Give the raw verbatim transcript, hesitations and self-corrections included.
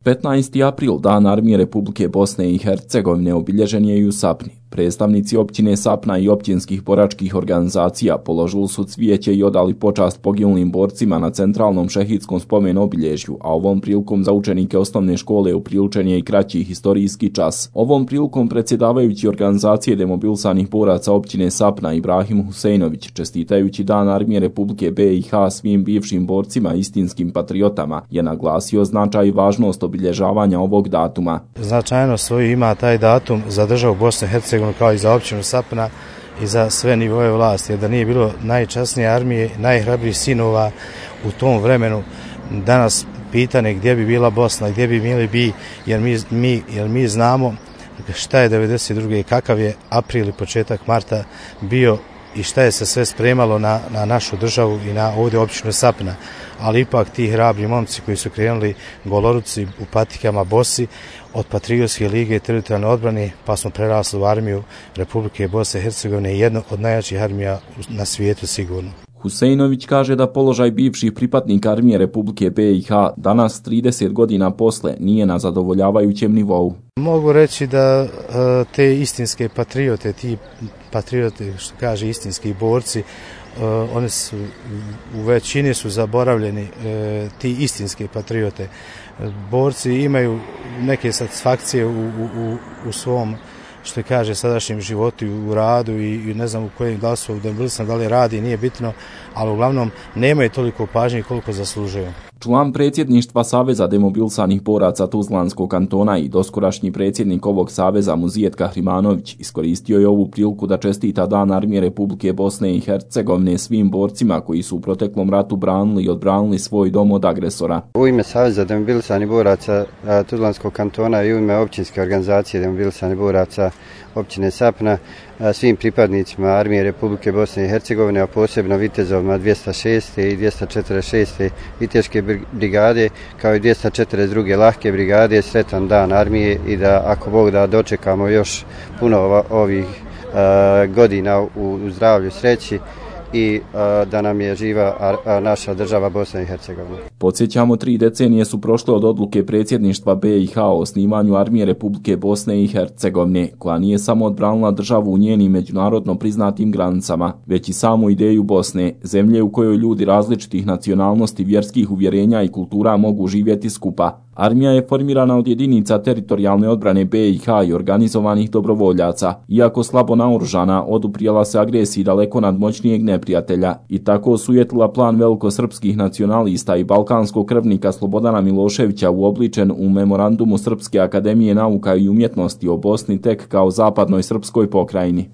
petnaesti april, Dan armije Republike Bosne i Hercegovine, obilježen je i u Sapni. Predstavnici općine Sapna i općinskih boračkih organizacija položili su cvijeće i odali počast poginulim borcima na centralnom šehidskom spomen obilježju, a ovom prilikom za učenike osnovne škole upriličen je i kraći historijski čas. Ovom prilikom predsjedavajući organizacije demobilisanih boraca općine Sapna Ibrahim Huseinović, čestitajući Dan armije Republike B i H svim bivšim borcima i istinskim patriotama, je naglasio značaj i važnost obilježavanja ovog datuma. Značajno svoju ima taj datum za državu Bosne i Hercegovine kao i za općinu Sapna i za sve nivoje vlasti, jer da nije bilo najčasnije armije, najhrabrijih sinova u tom vremenu, danas pitanje gdje bi bila Bosna, gdje bi bili bi, jer mi, mi, jer mi znamo šta je devedeset druge kakav je april i početak marta bio i šta je se sve spremalo na, na našu državu i na ovdje općinu Sapna. Ali ipak ti hrabri momci koji su krenuli goloruci u patikama bosi od Patriotske lige i teritorijalne odbrane, pa smo prerasli u armiju Republike Bosne i Hercegovine, jednu od najjačih armija na svijetu sigurno. Huseinović kaže da položaj bivših pripadnika armije Republike B i H danas trideset godina posle nije na zadovoljavajućem nivou. Mogu reći da te istinske patriote, ti patriote što kaže istinski borci, oni su u većini su zaboravljeni, ti istinske patriote. Borci imaju neke satisfakcije u, u, u svom što kaže sadašnjem životu u radu i, i ne znam u kojem da li su demobilisani, da li radi, nije bitno, ali uglavnom nemaju toliko pažnje koliko zaslužuju. Član predsjedništva Saveza demobilisanih boraca Tuzlanskog kantona i doskorašnji predsjednik ovog saveza Muzijet Kahrimanović iskoristio je ovu priliku da čestita Dan armije Republike Bosne i Hercegovine svim borcima koji su u proteklom ratu branili i odbranili svoj dom od agresora. U ime Saveza demobilisanih boraca Tuzlanskog kantona i u ime općinske organizacije demobilisanih boraca općine Sapna, svim pripadnicima armije Republike Bosne i Hercegovine, a posebno vitezovima dvjesto šeste i dvjesto četrdeset šeste viteške brigade, kao i dvjesto četrdeset druge lahke brigade, sretan Dan armije i da, ako Bog da, dočekamo još puno ovih uh, godina u, u zdravlju, sreći i uh, da nam je živa a, a naša država Bosna i Hercegovina. Podsjećamo, tri decenije su prošle od odluke predsjedništva B i H o osnivanju armije Republike Bosne i Hercegovine, koja nije samo odbranila državu u njenim međunarodno priznatim granicama, već i samu ideju Bosne, zemlje u kojoj ljudi različitih nacionalnosti, vjerskih uvjerenja i kultura mogu živjeti skupa. Armija je formirana od jedinica teritorijalne odbrane B i H i organizovanih dobrovoljaca. Iako slabo naoružana, oduprijela se agresiji daleko nadmoćnijeg neprijatelja i tako osujetila plan velikosrpskih nacionalista i balkanskog krvnika Slobodana Miloševića uobličen u memorandumu Srpske akademije nauka i umjetnosti o Bosni tek kao zapadnoj srpskoj pokrajini.